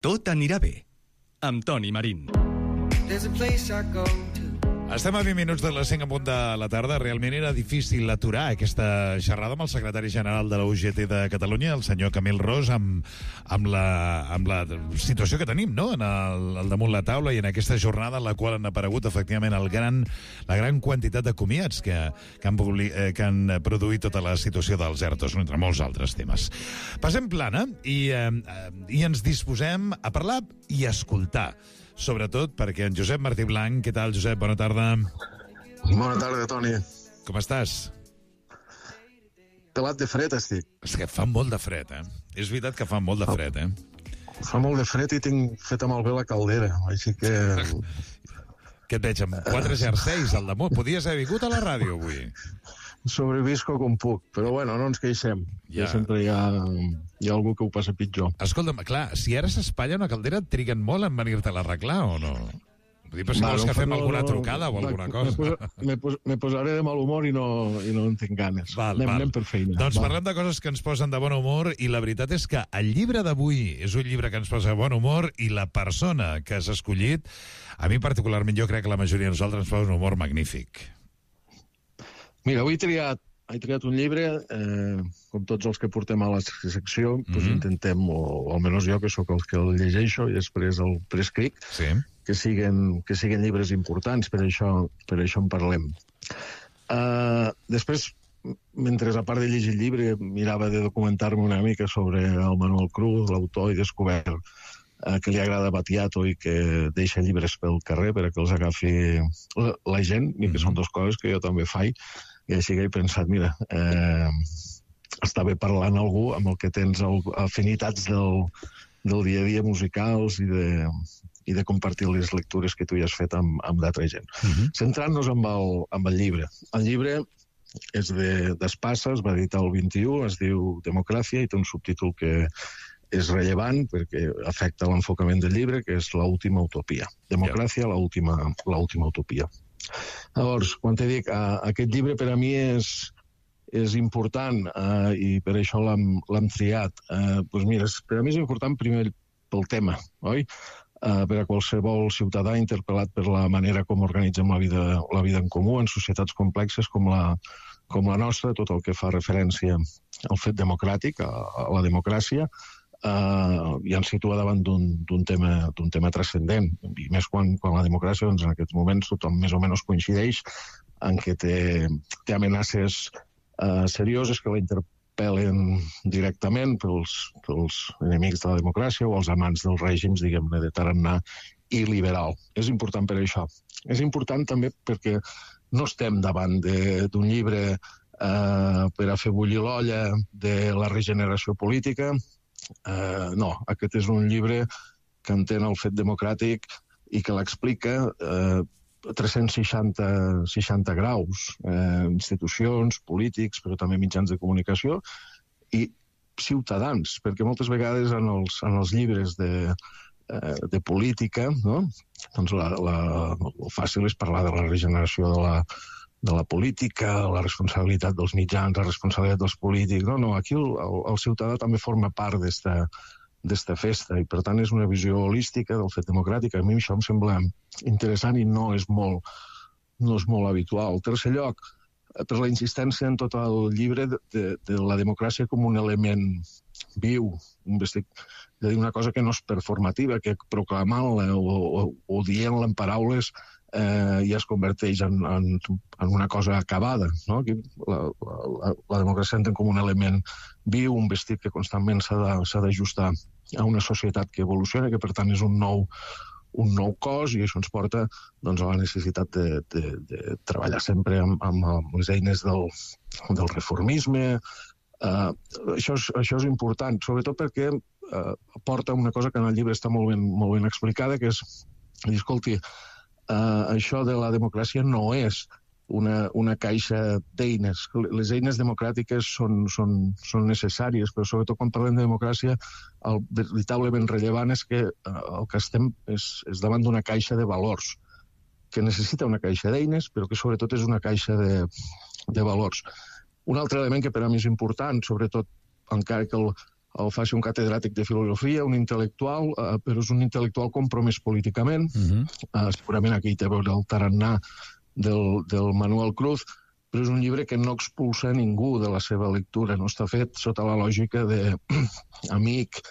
Tot anirà bé, amb Toni Marín. Estem a 20 minuts de les 5 en punt de la tarda. Realment era difícil aturar aquesta xerrada amb el secretari general de la UGT de Catalunya, el senyor Camil Ros, amb la situació que tenim, no?, al damunt la taula i en aquesta jornada en la qual han aparegut efectivament la gran quantitat de comiats que han produït tota la situació dels ERTOs, entre molts altres temes. Passem plana i ens disposem a parlar i a escoltar. Sobretot perquè en Josep Martí Blanc... Què tal, Josep? Bona tarda. Bona tarda, Toni. Com estàs? Pelat de fred estic. És que fa molt de fred, eh? És veritat que fa molt de fred, eh? Fa molt de fred i tinc feta malbé la caldera, així que... Què et veig, amb 4 jerseis al damunt? Podies haver vingut a la ràdio avui. Sobrevisco com puc, però bueno, no ens queixem. Ja. Sempre hi ha algú que ho passa pitjor. Escolta'm, clar, si ara s'espatlla una caldera, triguen molt en venir-te a l'arreglar o no? Però si vols que fem alguna trucada o alguna cosa. Me posaré de mal humor i no en tinc ganes. Anem per feina. Doncs parlem de coses que ens posen de bon humor i la veritat és que el llibre d'avui és un llibre que ens posa de bon humor i la persona que has escollit, a mi particularment, jo crec que la majoria de nosaltres ens posa un humor magnífic. Mira, avui he triat un llibre, com tots els que portem a la secció, doncs intentem, o almenys jo, que sóc el que el llegeixo, i després el prescric, que siguin llibres importants, per això en parlem. Després, mentre a part de llegir el llibre, mirava de documentar-me una mica sobre el Manuel Cruz, l'autor, i descobert que li agrada Battiato i que deixa llibres pel carrer per a que els agafi la gent, i que són dues coses que jo també faig, i així que he pensat, mira, està bé parlar amb algú amb el que tens afinitats del dia a dia musicals i de compartir les lectures que tu ja has fet amb d'altra gent. Centrant-nos amb el llibre. El llibre és d'Espasa, es va editar el 21, es diu Democràcia, i té un subtítol que és rellevant perquè afecta l'enfocament del llibre, que és l'última utopia. Democràcia, l'última utopia. Llavors, quan te dic, aquest llibre per a mi és important i per això l'hem triat. Doncs mira, per a mi és important primer pel tema, oi? Per a qualsevol ciutadà interpel·lat per la manera com organitzem la vida en comú en societats complexes com la nostra, tot el que fa referència al fet democràtic, a la democràcia, i ens situa davant d'un tema transcendent, i més quan la democràcia, doncs, en aquests moments tothom més o menys coincideix en que té amenaces serioses que la interpel·len directament pels enemics de la democràcia o els amants dels règims, diguem-ne, de tarannà i liberal. És important per això. És important també perquè no estem davant d'un llibre per a fer bullir l'olla de la regeneració política. No, aquest és un llibre que entén el fet democràtic i que l'explica 360 graus, institucions, polítics, però també mitjans de comunicació i ciutadans, perquè moltes vegades en els llibres de política, no? Doncs el fàcil és parlar de la regeneració de la política, la responsabilitat dels mitjans, la responsabilitat dels polítics. No, aquí el ciutadà també forma part d'esta festa i per tant és una visió holística del fet democràtic. A mi això em sembla interessant i no és molt habitual. En tercer lloc, per la insistència en tot el llibre de la democràcia com un element viu, de dir una cosa que no és performativa, que proclamant-la o dient-la en paraules ja es converteix en una cosa acabada, no? La democràcia entén com un element viu, un vestit que constantment s'ha d'ajustar a una societat que evoluciona, que per tant és un nou cos, i això ens porta doncs, a la necessitat de treballar sempre amb les eines del reformisme. Això és important, sobretot perquè porta una cosa que en el llibre està molt ben explicada, que és, escolti, això de la democràcia no és una caixa d'eines. Les eines democràtiques són necessàries, però sobretot quan parlem de democràcia, el veritablement rellevant és que el que estem és davant d'una caixa de valors, que necessita una caixa d'eines, però que sobretot és una caixa de valors. Un altre element que per a mi és important, sobretot encara que el faci un catedràtic de filosofia, un intel·lectual, però és un intel·lectual compromès políticament. Segurament aquí hi té a veure el tarannà del Manuel Cruz, però és un llibre que no expulsa ningú de la seva lectura, no està fet sota la lògica d'amic,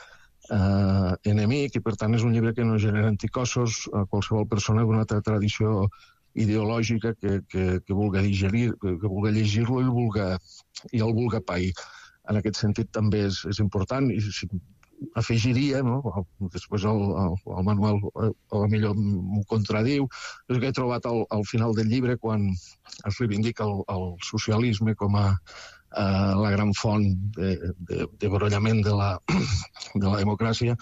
enemic, i per tant és un llibre que no genera anticossos a qualsevol persona d'una altra tradició ideològica que vulgui digerir, que vulgui llegir-lo i el vulgui pair. En aquest sentit també és important, i afegiria, no? Després el Manuel millor m'ho contradiu, és que he trobat al final del llibre, quan es reivindica el socialisme com a la gran font de brollament de la democràcia,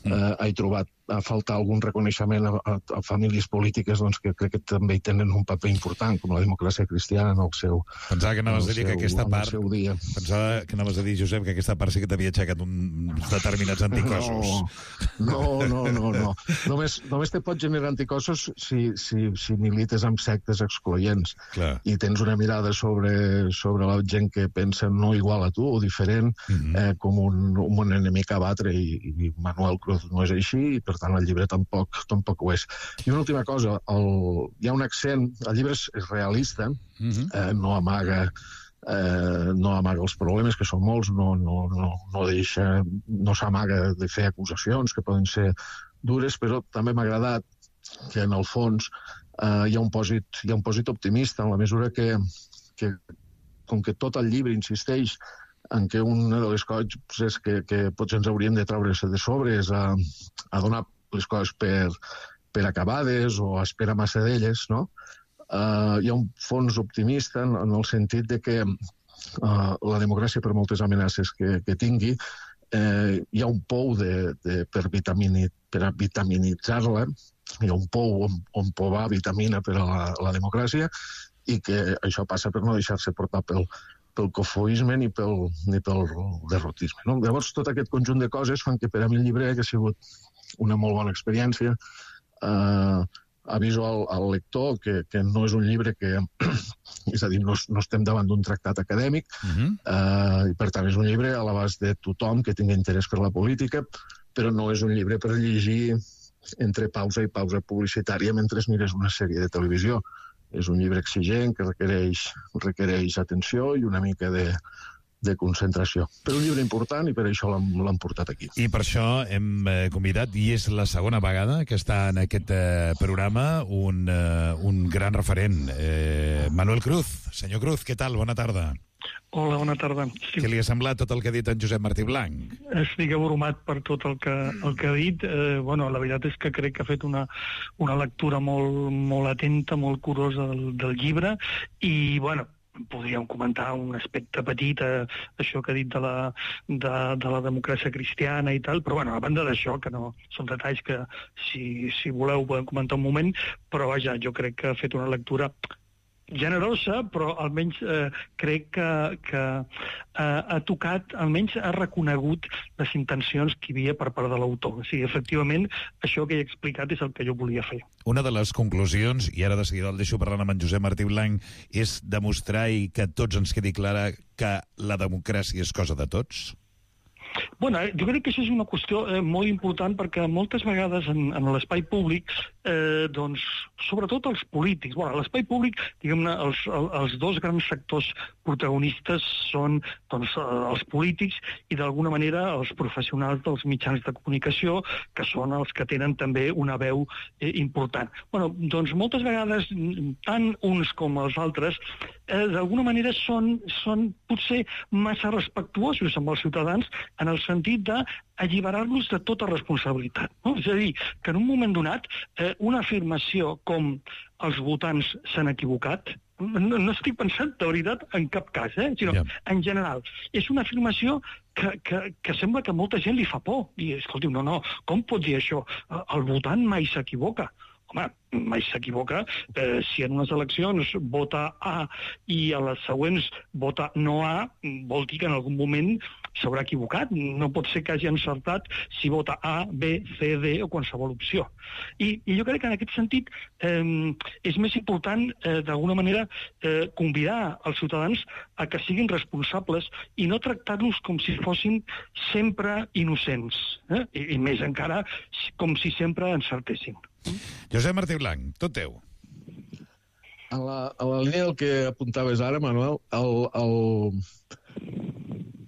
he trobat a faltar algun reconeixement a famílies polítiques que crec que també hi tenen un paper important, com la democràcia cristiana en el seu dia. Pensava que anaves a dir que aquesta part... Pensava que anaves a dir, Josep, que aquesta part sí que t'havia aixecat uns determinats anticossos. No. Només te pot generar anticossos si milites amb sectes excloents. Clar. I tens una mirada sobre la gent que pensa no igual a tu o diferent, com un enemic a batre, i Manuel Cruz no és així, i per tant el llibre tampoc ho és. I una última cosa, hi ha un accent, el llibre és realista, no amaga els problemes, que són molts, no s'amaga de fer acusacions que poden ser dures, però també m'ha agradat que en el fons hi ha un pòsit optimista, en la mesura que com que tot el llibre insisteix en què una de les coses que potser ens hauríem de treure de sobre és a donar les coses per acabades o a esperar massa d'elles, no? Hi ha un fons optimista en el sentit de que la democràcia, per moltes amenaces que tingui, hi ha un pou per vitaminitzar-la, hi ha un pou on povar vitamina per a la democràcia, i que això passa per no deixar-se portar pel cofoisme ni pel derrotisme. No? Llavors, tot aquest conjunt de coses fan que per a mi el llibre ha sigut una molt bona experiència. Aviso al lector que no és un llibre que... És a dir, no estem davant d'un tractat acadèmic, i per tant és un llibre a l'abast de tothom que tingui interès per la política, però no és un llibre per llegir entre pausa i pausa publicitària mentre mires una sèrie de televisió. És un llibre exigent que requereix atenció i una mica de concentració. Però un llibre important, i per això l'hem portat aquí. I per això hem convidat, i és la segona vegada que està en aquest programa, un gran referent, Manuel Cruz. Senyor Cruz, què tal? Bona tarda. Hola, bona tarda. Sí. Què li ha semblat tot el que ha dit en Josep Martí Blanc? Estic abrumat per tot el que ha dit. La veritat és que crec que ha fet una lectura molt atenta, molt curosa del llibre, i, podríem comentar un aspecte petit, això que ha dit de la democràcia cristiana i tal, però a banda d'això, que no són detalls que si voleu podem comentar un moment, però vaja, jo crec que ha fet una lectura generosa, però almenys crec que ha tocat, almenys ha reconegut les intencions que hi havia per part de l'autor. O sigui, efectivament, això que he explicat és el que jo volia fer. Una de les conclusions, i ara de seguida el deixo parlant amb en Josep Martí Blanc, és demostrar i que a tots ens quedi clara que la democràcia és cosa de tots? Jo crec que això és una qüestió molt important, perquè moltes vegades en l'espai públic, sobretot els polítics, a l'espai públic, diguem-ne, els dos grans sectors protagonistes són els polítics i d'alguna manera els professionals dels mitjans de comunicació, que són els que tenen també una veu important. Moltes vegades, tant uns com els altres, d'alguna manera són potser massa respectuosos amb els ciutadans, en el sentit d'alliberar-los de tota responsabilitat. No? És a dir, que en un moment donat una afirmació com els votants s'han equivocat, no estic pensant de veritat en cap cas, sinó en general. És una afirmació que sembla que a molta gent li fa por. I, escolti, no, com pot dir això? El votant mai s'equivoca. Home, mai s'equivoca. Si en unes eleccions vota A i a les següents vota no A, vol dir que en algun moment s'haurà equivocat, no pot ser que hagi encertat si vota A, B, C, D o qualsevol opció. I jo crec que en aquest sentit és més important, d'alguna manera, convidar els ciutadans a que siguin responsables i no tractar-los com si fossin sempre innocents, i més encara com si sempre encertessin. Josep Martí Blanc, tot teu. A la línia del que apuntaves ara, Manuel,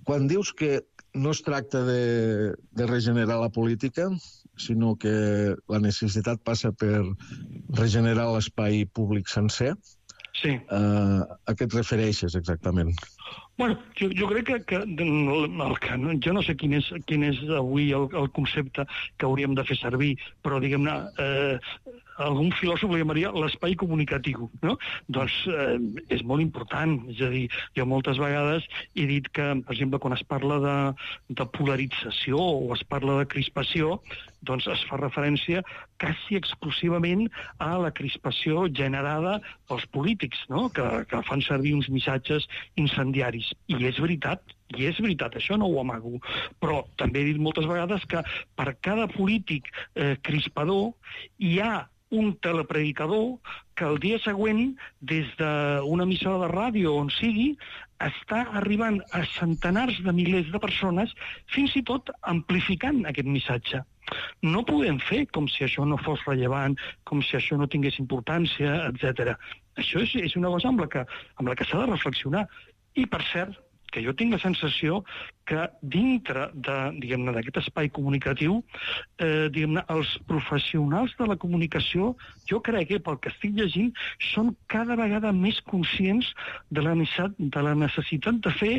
quan dius que no es tracta de regenerar la política, sinó que la necessitat passa per regenerar l'espai públic sencer, sí. A què et refereixes exactament? Bueno, jo crec que jo no sé quin és avui el concepte que hauríem de fer servir, però diguem-ne, algun filòsof li llamaria l'espai comunicatiu, no? Doncs és molt important, és a dir, jo moltes vegades he dit que, per exemple, quan es parla de polarització o es parla de crispació, doncs es fa referència quasi exclusivament a la crispació generada pels polítics, no? Que fan servir uns missatges incendiaris. I és veritat, això no ho amago. Però també he dit moltes vegades que per cada polític crispador hi ha un telepredicador que el dia següent, des d'una emissora de ràdio on sigui, està arribant a centenars de milers de persones, fins i tot amplificant aquest missatge. No podem fer com si això no fos rellevant, com si això no tingués importància, etc. Això és una cosa amb la que s'ha de reflexionar. I, per cert, que jo tinc la sensació que dintre d'aquest espai comunicatiu, els professionals de la comunicació, jo crec que pel que estic llegint, són cada vegada més conscients de la necessitat de fer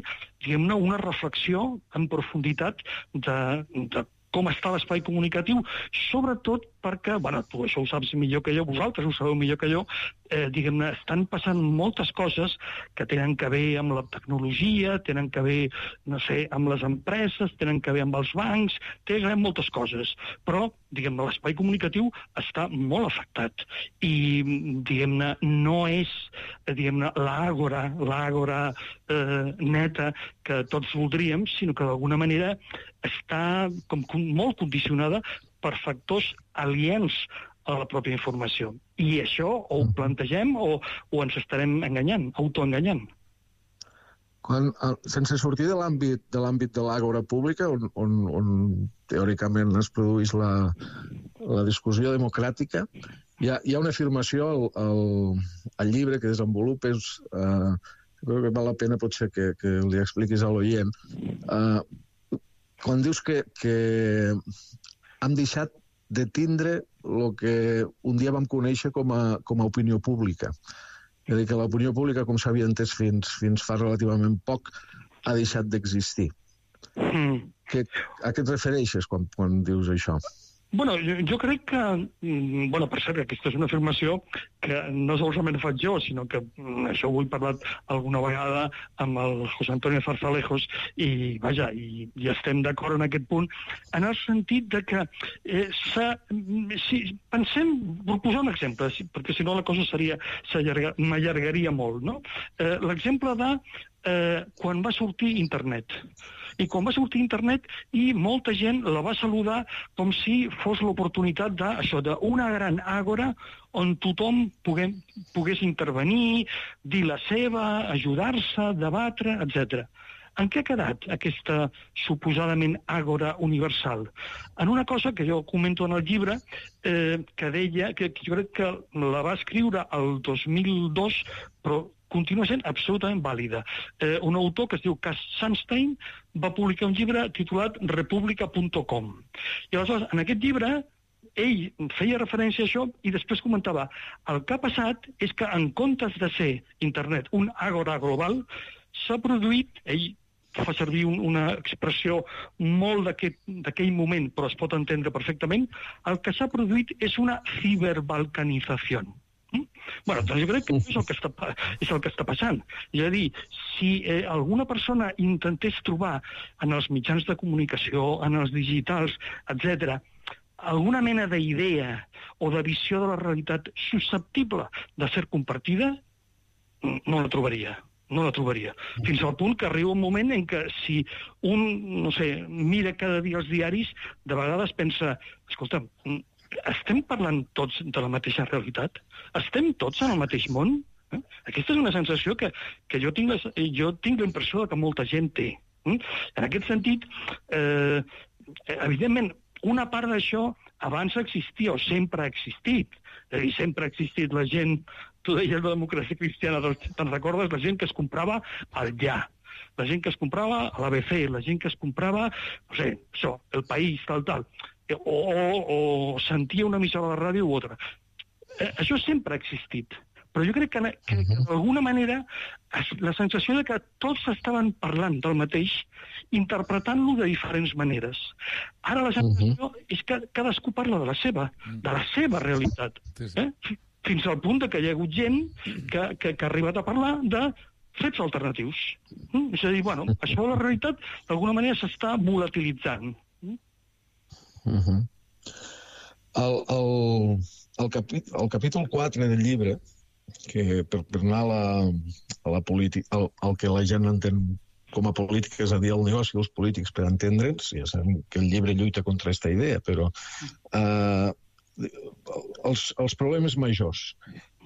una reflexió en profunditat de com està l'espai comunicatiu, sobretot perquè, tu això ho saps millor que jo, vosaltres ho sabeu millor que jo, estan passant moltes coses que tenen que veure amb la tecnologia, tenen que veure, no sé, amb les empreses, tenen que veure amb els bancs, tenen que veure amb moltes coses. Però, l'espai comunicatiu està molt afectat. I, no és, l'àgora neta que tots voldríem, sinó que d'alguna manera està com molt condicionada per factors aliens a la pròpia informació. I això o ho plantegem o ens estarem enganyant, autoenganyant. Sense sortir de l'àmbit de l'àgora pública, on teòricament es produeix la discussió democràtica, hi ha una afirmació al llibre que desenvolupes, crec que val la pena potser que li expliquis a l'oient, quan dius que hem deixat de tindre el que un dia vam conèixer com a opinió pública. És a dir, que l'opinió pública, com s'havia entès fins fa relativament poc, ha deixat d'existir. A què et refereixes quan dius això? Jo crec que, per cert, aquesta és una afirmació que no solament faig jo, sinó que això ho he parlat alguna vegada amb el José Antonio Zarzalejos i estem d'acord en aquest punt, en el sentit de que pensem, vull posar un exemple, perquè si no la cosa m'allargaria molt, no? L'exemple de quan va sortir internet. I quan va sortir internet i molta gent la va saludar com si fos l'oportunitat d'una gran àgora on tothom pogués intervenir, dir la seva, ajudar-se, debatre, etc. En què ha quedat aquesta suposadament àgora universal? En una cosa que jo comento en el llibre, que deia, que jo crec que la va escriure el 2002, però continua sent absolutament vàlida. Un autor que es diu Cass Sunstein va publicar un llibre titulat Republica.com. I aleshores, en aquest llibre, ell feia referència a això i després comentava el que ha passat és que en comptes de ser internet un àgora global, s'ha produït, ell fa servir una expressió molt d'aquell moment, però es pot entendre perfectament, el que s'ha produït és una ciberbalcanització. Doncs jo crec que és el que està passant. És a dir, si alguna persona intentés trobar en els mitjans de comunicació, en els digitals, etc., alguna mena d'idea o de visió de la realitat susceptible de ser compartida, no la trobaria. no la trobaria. Fins al punt que arriba un moment en què si un, no sé, mira cada dia els diaris, de vegades pensa, escolta, estem parlant tots de la mateixa realitat? Estem tots en el mateix món? Aquesta és una sensació que jo tinc la impressió que molta gent té. En aquest sentit, evidentment, una part d'això abans existia o sempre ha existit. És a dir, sempre ha existit la gent, tu deies la democràcia cristiana, te'n recordes? La gent que es comprava al Ja, la gent que es comprava a l'ABC, la gent que es comprava, no sé, això, El País, tal, o sentia una emissora de ràdio u altra. Això sempre ha existit. Però jo crec que d'alguna manera la sensació de que tots estaven parlant del mateix, interpretant-lo de diferents maneres. Ara la sensació és que cadascú parla de la seva realitat. Fins al punt que hi ha hagut gent que ha arribat a parlar de fets alternatius. És a dir, bueno, això de la realitat d'alguna manera s'està volatilitzant. El capítol 4 del llibre, que per anar a la política, el que la gent entén com a política, és a dir, el negoci dels polítics per entendre'ns, ja sabem que el llibre lluita contra aquesta idea, però els problemes majors.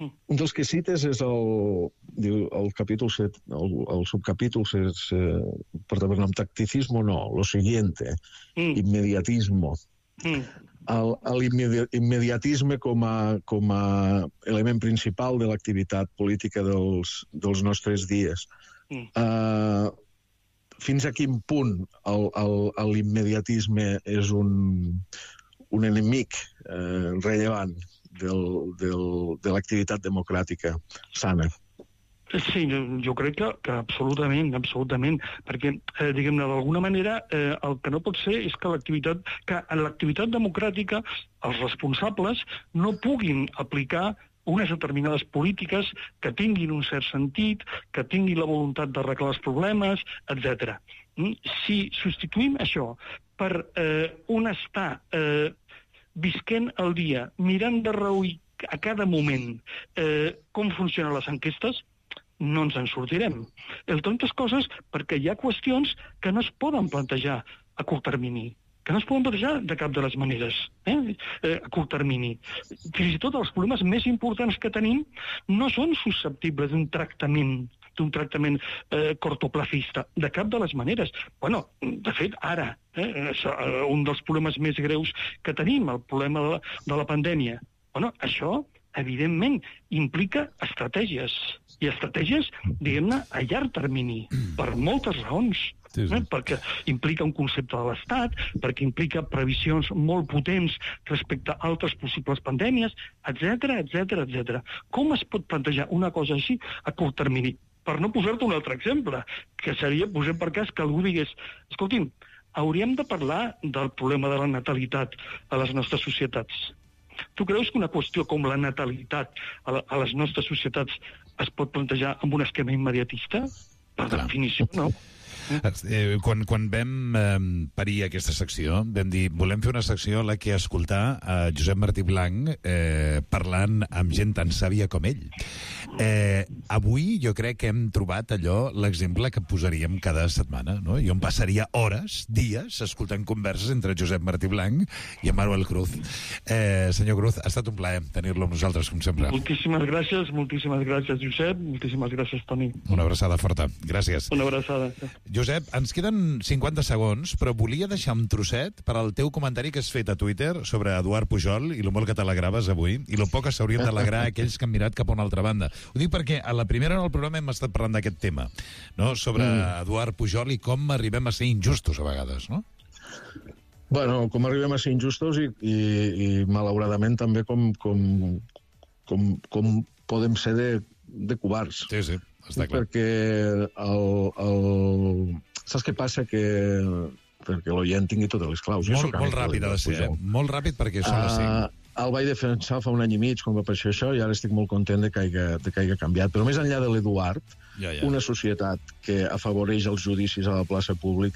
Un dels que cites és el capítol 7, el subcapítol porta per nom tacticismo, no, lo siguiente, inmediatismo. L'immediatisme com a element principal de l'activitat política dels nostres dies. Fins a quin punt l'immediatisme és un enemic rellevant de l'activitat democràtica sana? Sí, jo crec que absolutament, perquè, diguem-ne, d'alguna manera, el que no pot ser és que en l'activitat democràtica els responsables no puguin aplicar unes determinades polítiques que tinguin un cert sentit, que tinguin la voluntat d'arreglar els problemes, etc. Si substituïm això per un estar visquent el dia, mirant de reüll a cada moment com funcionen les enquestes, no ens en sortirem. Entre altres coses, perquè hi ha qüestions que no es poden plantejar a curt termini, que no es poden plantejar de cap de les maneres, a curt termini. Fins i tot els problemes més importants que tenim no són susceptibles d'un tractament cortoplacista, de cap de les maneres. Bueno, de fet, ara, un dels problemes més greus que tenim, el problema de la pandèmia, bueno, això evidentment implica estratègies, i estratègies, diguem-ne, a llarg termini, per moltes raons. Sí. Perquè implica un concepte de l'Estat, perquè implica previsions molt potents respecte a altres possibles pandèmies, etc. Com es pot plantejar una cosa així a curt termini? Per no posar-te un altre exemple, que seria, posem per cas, que algú digués, escolti'm, hauríem de parlar del problema de la natalitat a les nostres societats. Tu creus que una qüestió com la natalitat a les nostres societats es pot plantejar amb un esquema immediatista? Per definició, no. Quan vam parir aquesta secció, vam dir, volem fer una secció en la que escoltar a Josep Martí Blanc parlant amb gent tan sàvia com ell. Avui jo crec que hem trobat allò, l'exemple que posaríem cada setmana, no? Jo em passaria hores, dies, escoltant converses entre Josep Martí Blanc i en Manuel Cruz. Senyor Cruz, ha estat un plaer tenir-lo amb nosaltres, com sempre. Moltíssimes gràcies, Josep, moltíssimes gràcies, Toni. Una abraçada forta, gràcies. Una abraçada. Josep, ens queden 50 segons, però volia deixar un trosset per al teu comentari que has fet a Twitter sobre Eduard Pujol i lo molt que t'alegraves avui, i lo poc que s'haurien d'alegrar aquells que han mirat cap a una altra banda. Ho dic perquè a la primera hora del programa hem estat parlant d'aquest tema, no? Sobre Eduard Pujol i com arribem a ser injustos a vegades, no? Bueno, com arribem a ser injustos i malauradament també com podem ser de covards. Sí, està clar. Perquè saps què passa? Perquè l'oient tingui totes les claus. Molt ràpid ha de ser, molt ràpid perquè són les 5. El vaig defensar fa un any i mig quan va aparèixer això i ara estic molt content de que hagi canviat. Però més enllà de l'Eduard, una societat que afavoreix els judicis a la plaça pública